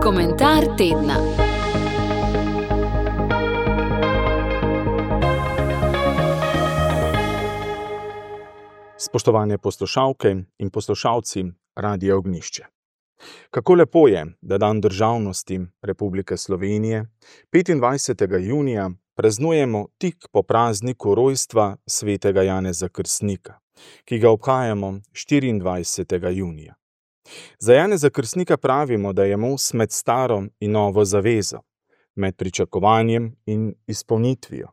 Komentar tedna. Spoštovane poslušalke in poslušalci Radia Ognjišče. Kako lepo je, da dan državnosti Republike Slovenije 25. junija praznujemo tik po prazniku rojstva svetega Janeza Krstnika, ki ga obhajamo 24. junija. Za Janeza Krstnika pravimo, da je most med staro in novo zavezo, med pričakovanjem in izpolnitvijo,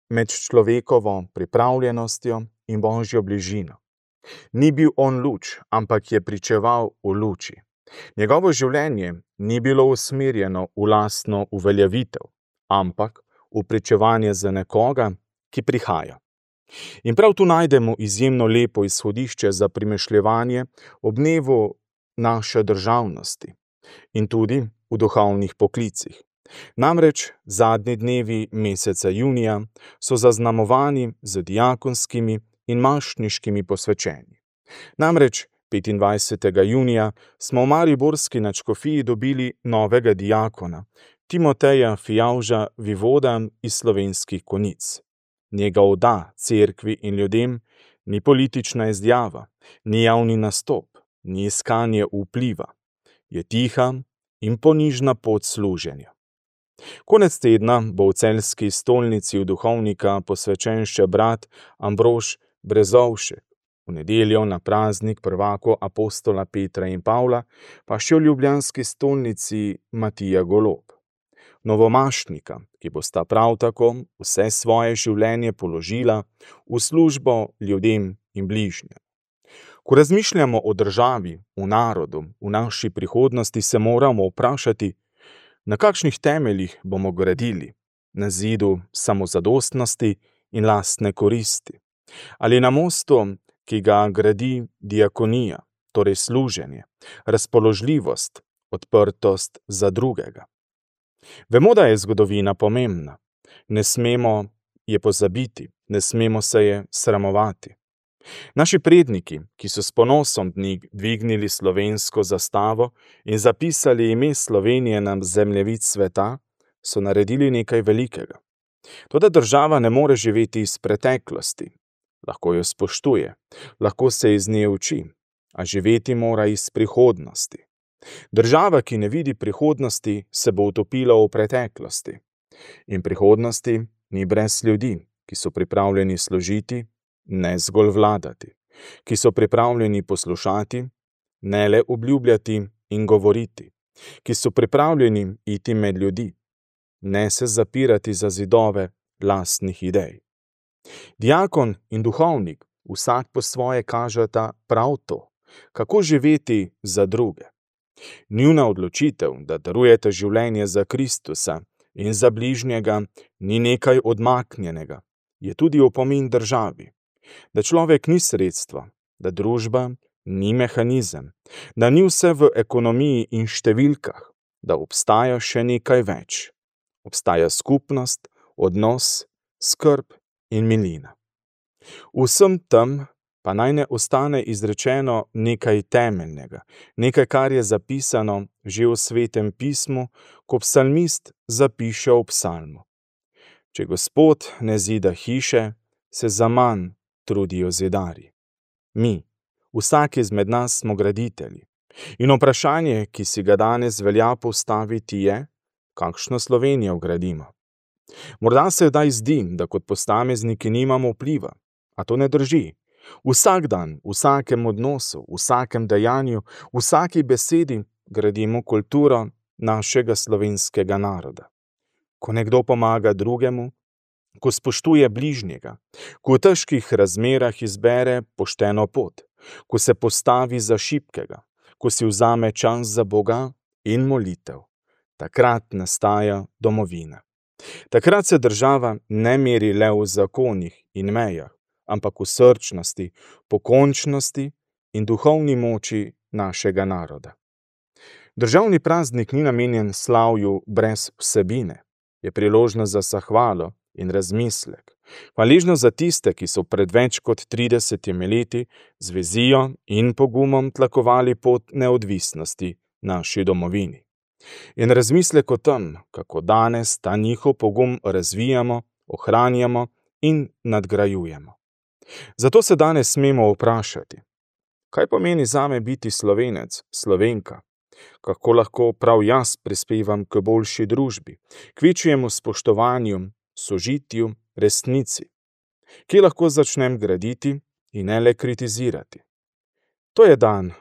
med človekovo pripravljenostjo in Božjo bližino. Ni bil on luč, ampak je pričeval v luči. Njegovo življenje ni bilo usmerjeno v lastno uveljavitev, ampak v pričevanje za nekoga, ki prihaja. In prav tu najdemo izjemno lepo izhodišče za premišljevanje ob dnevu naše državnosti in tudi v duhovnih poklicih. Namreč zadnji dnevi meseca junija so zaznamovani z diakonskimi in mašniškimi posvečenji. Namreč 25. junija smo v mariborski nadškofiji dobili novega diakona, Timoteja Fijavža Vivoda iz Slovenskih Konjic. Njegov da cerkvi in ljudem ni politična izjava, ni javni nastop, ni iskanje vpliva. Je tiha in ponižna pot služenja. Konec tedna bo v celjski stolnici v duhovnika posvečen še brat Ambrož Brezovšek, v nedeljo na praznik prvako apostola Petra in Pavla, pa še v ljubljanski stolnici Matija Golob. Novomašnika, ki bosta prav tako vse svoje življenje položila v službo ljudem in bližnjim. Ko razmišljamo o državi, v narodu, v naši prihodnosti, se moramo vprašati, na kakšnih temeljih bomo gradili, na zidu samozadostnosti in lastne koristi, ali na mostu, ki ga gradi diakonija, torej služenje, razpoložljivost, odprtost za drugega. Vemo, da je zgodovina pomembna. Ne smemo je pozabiti, ne smemo se je sramovati. Naši predniki, ki so s ponosom dvignili slovensko zastavo in zapisali ime Slovenije na zemljevid sveta, so naredili nekaj velikega. Toda država ne more živeti iz preteklosti. Lahko jo spoštuje, lahko se iz nje uči, a živeti mora iz prihodnosti. Država, ki ne vidi prihodnosti, se bo utopila v preteklosti. In prihodnosti ni brez ljudi, ki so pripravljeni služiti, ne zgolj vladati, ki so pripravljeni poslušati, ne le obljubljati in govoriti, ki so pripravljeni iti med ljudi, ne se zapirati za zidove lastnih idej. Diakon in duhovnik vsak po svoje kažeta prav to, kako živeti za druge. Njuna odločitev, da darujete življenje za Kristusa in za bližnjega, ni nekaj odmaknjenega, je tudi opomin državi, da človek ni sredstvo, da družba ni mehanizem, da ni vse v ekonomiji in številkah, da obstaja še nekaj več. Obstaja skupnost, odnos, skrb in milina. Vsem tem pa naj ne ostane izrečeno nekaj temeljnega, nekaj, kar je zapisano že v Svetem pismu, ko psalmist zapiše v psalmu. Če Gospod ne zida hiše, se zaman trudijo zidarji. Mi, vsak izmed nas smo graditelji. In vprašanje, ki si ga danes velja postaviti, je, kakšno Slovenijo gradimo. Morda se kdaj zdi, da kot posamezniki nimamo vpliva, a to ne drži. Vsak dan, v vsakem odnosu, v vsakem dejanju, v vsaki besedi gradimo kulturo našega slovenskega naroda. Ko nekdo pomaga drugemu, ko spoštuje bližnjega, ko v težkih razmerah izbere pošteno pot, ko se postavi za šibkega, ko si vzame čas za Boga in molitev, takrat nastaja domovina. Takrat se država ne meri le v zakonih in mejah, ampak v srčnosti, pokončnosti in duhovni moči našega naroda. Državni praznik ni namenjen slavju brez vsebine, je priložnost za zahvalo in razmislek, Hvaležnost za tiste, ki so pred več kot 30 leti z vizijo in pogumom tlakovali pot neodvisnosti naši domovini. In razmislek o tem, kako danes ta njihov pogum razvijamo, ohranjamo in nadgrajujemo. Zato se danes smemo vprašati, kaj pomeni zame biti Slovenec, Slovenka? Kako lahko prav jaz prispevam k boljši družbi, k večjemu spoštovanju, sožitju, resnici? Kje lahko začnem graditi in ne le kritizirati? To je dan,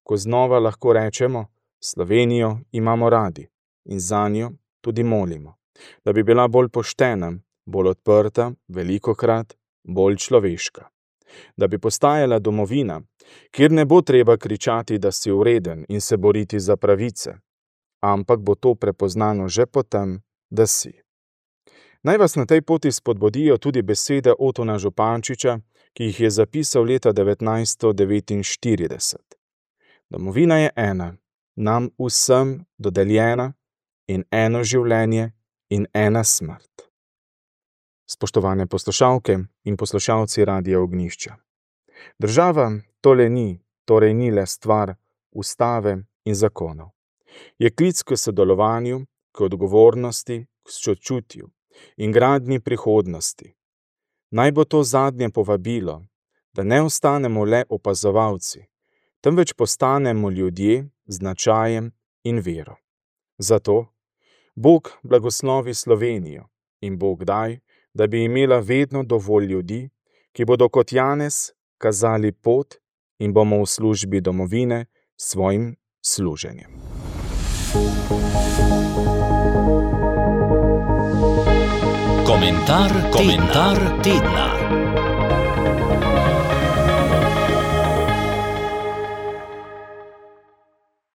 ko znova lahko rečemo, Slovenijo imamo radi in zanjo tudi molimo, da bi bila bolj poštena, bolj odprta, velikokrat bolj človeška. Da bi postajala domovina, kjer ne bo treba kričati, da si vreden in se boriti za pravice, ampak bo to prepoznano že potem, da si. Naj vas na tej poti spodbudijo tudi besede Otona Župančiča, ki jih je zapisal leta 1949. Domovina je ena, nam vsem dodeljena, in eno življenje in ena smrt. Spoštovane poslušalke in poslušalci Radia Ognjišče. Država torej ni le stvar ustave in zakonov. Je klic k sodelovanju, k odgovornosti, k sočutju in gradnji prihodnosti. Naj bo to zadnje povabilo, da ne ostanemo le opazovalci, temveč postanemo ljudje z značajem in vero. Zato Bog blagoslovi Slovenijo in Bog daj, da bi imela vedno dovolj ljudi, ki bodo kot Janez kazali pot in bomo v službi domovine s svojim služenjem. Komentar tedna.